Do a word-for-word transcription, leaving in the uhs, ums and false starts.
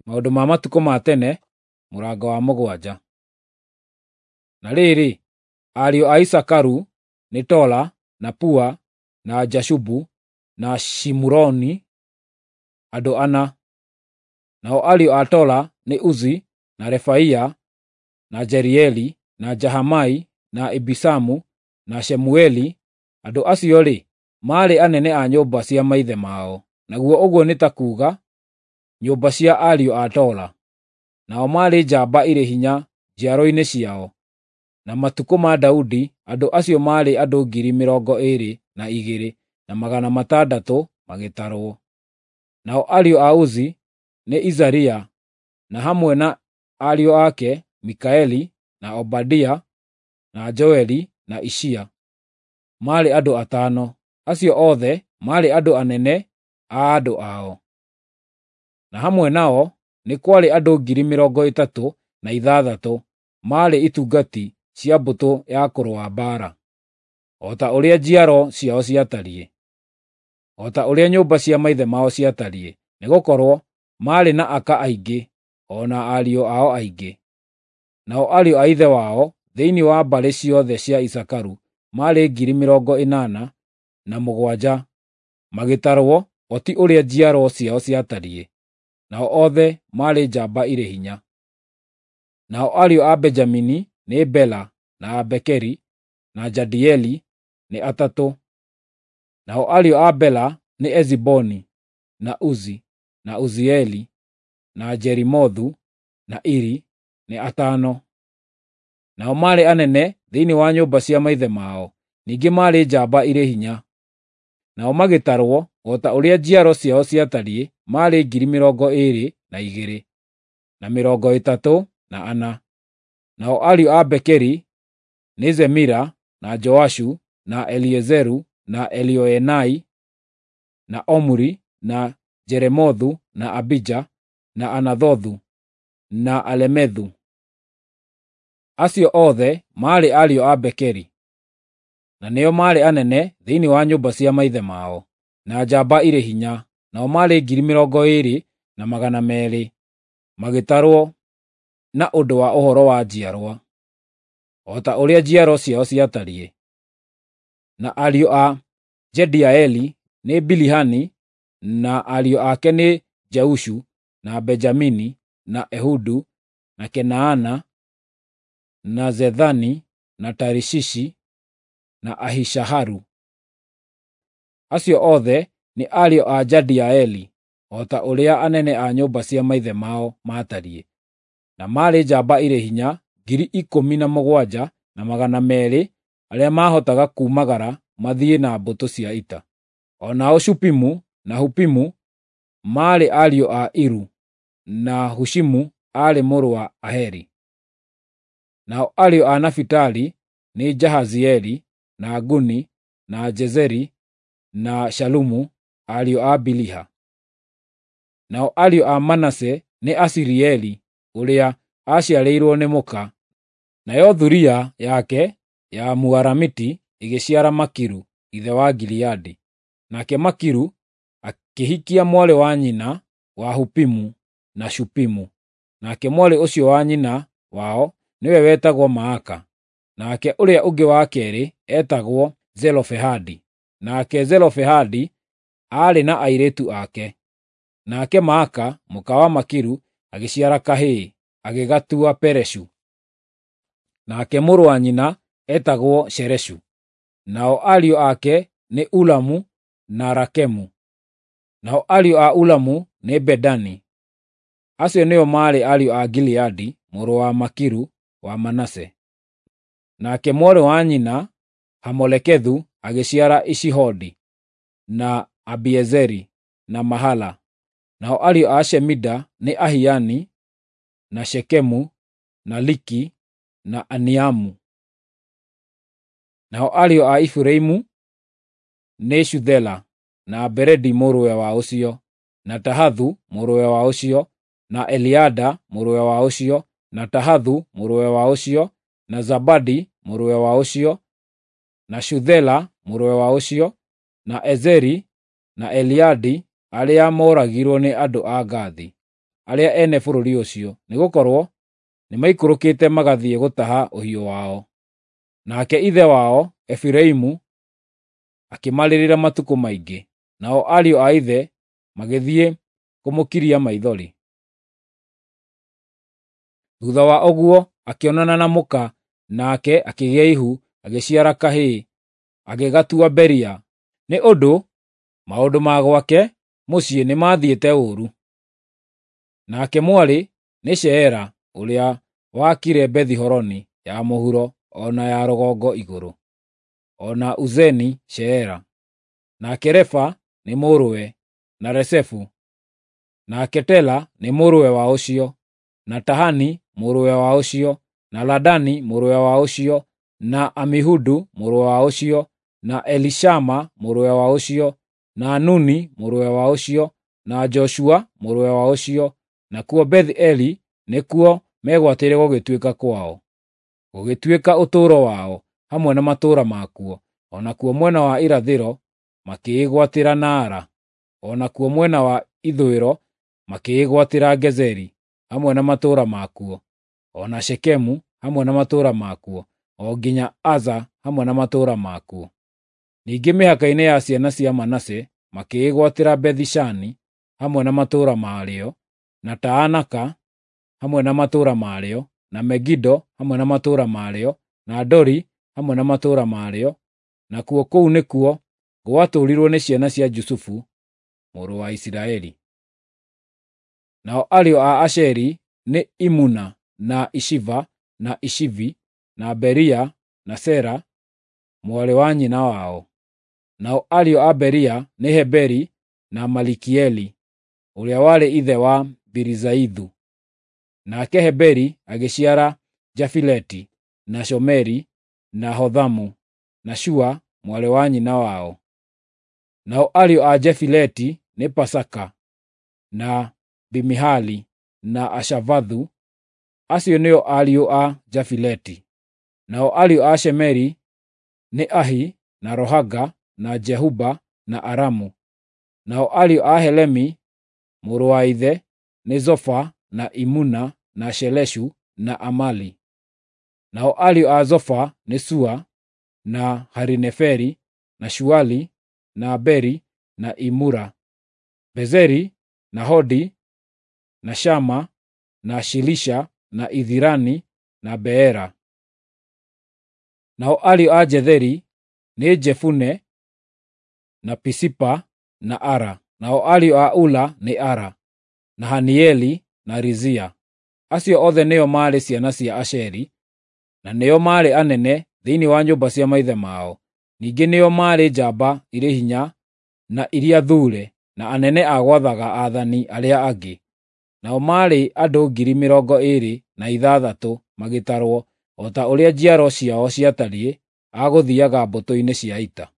Maũndũ ma Matukũ ma Tene, mũrango wa mũgwanja. Na rĩrĩ, ariũ a Isakaru nĩ Tola, na Pua, na Jashubu, na Shimuroni, andũ ana. Nao ariũ a Tola nĩ Uzi, na Refaia, na Jerieli, na Jahamai, na Ibisamu, na Shemueli. Andũ acio-rĩ, maarĩ anene a nyũmba cia maithe mao, naguo ũguo nĩ ta kuuga nyũmba cia ariũ a Tola. Nao maarĩ njamba irĩ hinya njiaro-inĩ ciao. Na matukũ ma Daudi andũ acio maarĩ andũ ngiri mĩrongo ĩĩrĩ na igĩrĩ na magana matandatũ magĩtarwo. Nao ariũ a Uzi nĩ Izaria, na hamwe na ariũ ake Mikaeli, na Obadia, na Joeli, na Ishia. Maarĩ andũ atano. Acio othe maarĩ andũ anene a andũ ao. Na hamwe nao nĩ kwarĩ andũ ngiri mĩrongo ĩtatũ na ithathatũ maarĩ itungati cia mbũtũ ya kũrũa mbaara, o ta ũrĩa njiaro ciao ciatariĩ, o ta ũrĩa nyũmba cia maithe mao ciatariĩ, nĩgũkorwo maarĩ na aka aingĩ o na ariũ ao aingĩ. Nao ariũ a ithe wao thĩinĩ wa mbarĩ ciothe cia Isakaru maarĩ ngiri mĩrongo ĩnana na mũgwanja magĩtarwo o ti ũrĩa njiaro ciao ciatariĩ, nao othe maarĩ njamba irĩ hinya. Nao ariũ a Benjamini nĩ Bela, na Bekeri, na Jadieli, nĩ atatũ. Nao ariũ a Bela nĩ Eziboni, na Uzi, na Uzieli, na Jerimothu, na Iri, nĩ atano. Nao maarĩ anene thĩinĩ wa nyũmba cia maithe mao, ningĩ maarĩ njamba irĩ hinya. Nao magĩtarwo o ta ũrĩa njiaro ciao ciatariĩ maarĩ ngiri mĩrongo ĩĩrĩ na igĩrĩ, na mĩrongo ĩtatũ na ana. Nao ariũ a Bekeri nĩ Zemira, na Joashu, na Eliezeru, na Elioenai, na Omuri, na Jeremothu, na Abija, na Anathothu, na Alemethu. Acio othe maarĩ ariũ a Bekeri, na nĩo maarĩ anene thĩinĩ wa nyũmba cia maithe mao, na njamba irĩ hinya, nao maarĩ ngiri mĩrongo ĩĩrĩ na magana meerĩ magĩtarwo na ũndũ wa ũhoro wa njiarwa, o ta ũrĩa njiaro ciao ciatariĩ. Na ariũ a Jediaeli nĩ Bilihani, na ariũ ake nĩ Jeushu, na Benjamini, na Ehudu, na Kenaana, na Zethani, na Tarishishi, na Ahishaharu. Acio othe nĩ ariũ a Jediaeli, o ta ũrĩa anene a nyũmba cia maithe mao maatariĩ, na maarĩ njamba irĩ hinya ngiri ikũmi na mũgwanja na magana meerĩ arĩa maahotaga kuumagara mathiĩ na mbũtũ cia ita. O nao Shupimu na Hupimu maarĩ ariũ a Iru, na Hushimu aarĩ mũrũ wa Aheri. Nao ariũ a Nafitali nĩ Jahazieli, na Guni, na Jezeri, na Shalumu, ariũ a Biliha. Nao ariũ a Manase nĩ Asirieli ũrĩa aaciarĩirwo nĩ mũka, nayo thuriya yake ya Mũaramiti ĩgĩciara Makiru ithe wa Gileadi. Nake Makiru akĩhikia mwarĩ wa nyina wa Hupimu na Shupimu. Nake mwarĩ ũcio wa nyina wao nĩwe wetagwo Maaka, nake ũrĩa ũngĩ wa keerĩ eetagwo Zelofehadi. Nake Zelofehadi aarĩ na airĩtu ake. Nake Maaka mũka wa Makiru agĩciara kahĩĩ, agĩgatua Pereshu. Nake mũrũ wa nyina eetagwo Shereshu. Nao ariũ ake nĩ Ulamu na Rakemu. Nao ariũ a Ulamu nĩ Bedani. Acio nĩo maarĩ ariũ a Gileadi mũrũ wa Makiru wa Manase. Nake mwarĩ wa nyina Hamolekethu agĩciara Ishihodi, na Abiezeri, na Mahala. Nao ariũ a Shemida nĩ Ahiani, na Shekemu, na Liki, na Aniamu. Nao ariũ a Efiraimu nĩ Shuthela, na Beredi mũrũwe wa ũcio, na Tahathu mũrũwe wa ũcio, na Eliada mũrũwe wa ũcio, na Tahathu mũrũwe wa ũcio, na Zabadi mũrũwe wa ũcio, na Shuthela mũrũwe wa ũcio, na Ezeri na Eliadi arĩa mooragirwo nĩ andũ a Gathi. arĩa ene bũrũri ũcio, nĩgũkorwo nĩmaikũrũkĩte magathiĩ gũtaha ũhiũ wao. Nake ithe wao, Efiraimu, akĩmarĩrĩra matukũ maingĩ, nao ariũ a ithe magĩthiĩ kũmũkiria maithori. Thuutha wa ũguo akĩonana na mũka, nake akĩgĩa ihu, agĩciara kahĩĩ, agĩgatua Beria, nĩ ũndũ maũndũ ma gwake mũciĩ nĩmathiĩte ũũru. Nake mwarĩ nĩ Sheera ũrĩa waakire Bethi-Horoni ya mũhuro o na ya rũgongo igũrũ, o na Uzeni-Sheera. Nake Refa nĩ mũrũwe, na Resefu. Nake Tela nĩ mũrũwe wa ũcio, na Tahani mũrũwe wa ũcio, na Ladani mũrũwe wa ũcio, na Amihudu mũrũwe wa ũcio, na Elishama mũrũwe wa ũcio, na Nuni mũrũwe wa ũcio, na Joshua mũrũwe wa ũcio. Nakuo Beth-Eli nĩkuo megwatĩire gũgĩtuĩka kwao, gũgĩtuĩka ũtũũro wao, hamwe na matũũra makuo. O nakuo mwena wa irathĩro makĩĩgwatĩra Naara, o nakuo mwena wa ithũĩro makĩĩgwatĩra Gezeri hamwe na matũũra makuo, o na Shekemu hamwe na matũũra makuo, o nginya Aza hamwe na matũũra makuo. Ningĩ mĩhaka-inĩ ya ciana cia Manase makĩĩgwatĩra Bethi-Shani hamwe na matũũra marĩo, na Taanaka hamwe na matũũra marĩo, na Megido hamwe na matũũra marĩo, na Dori hamwe na matũũra marĩo. Nakuo kũu nĩkuo gwatũũrirwo nĩ ciana cia Jusufu mũrũ wa Isiraeli. Nao ariũ a Asheri nĩ Imuna, na Ishiva, na Ishivi, na Beria, na Sera mwarĩ wa nyina wao. Nao ariũ a Beria nĩ Heberi na Malikieli, ũrĩa warĩ ithe wa Birizaithu. Nake Heberi agĩciara Jafileti, na Shomeri, na Hothamu, na Shua mwarĩ wa nyina wao. Nao ariũ a Jefileti nĩ Pasaka, na Bimihali, na Ashavathu. Acio nĩo ariũ a Jafileti. Nao ariũ a Shemeri nĩ Ahi, na Rohaga, na Jehuba, na Aramu. Nao ariũ a Helemi mũrũ wa ithe nĩ Zofa, na Imuna, na Sheleshu, na Amali. Nao ariũ a Zofa nĩ Sua, na Harineferi, na Shuali, na Beri, na Imura, Bezeri, na Hodi, na Shama, na Shilisha, na Ithirani, na Beera. Nao ariũ a Jetheri nĩ Jefune, na Pisipa, na Ara. Nao ariũ a Ula nĩ Ara, na Hanieli, na Rizia. Acio othe nĩo maarĩ ciana cia Asheri, na nĩo maarĩ anene thĩinĩ wa nyũmba cia maithe mao. Ningĩ nĩo maarĩ njamba irĩ hinya na iria thuure, na anene a gwathaga aathani arĩa angĩ. Nao maarĩ andũ ngiri mĩrongo ĩĩrĩ na ithathatũ magĩtarwo, o ta ũrĩa njiaro ciao ciatariĩ, a gũthiiaga mbũtũ-inĩ cia ita.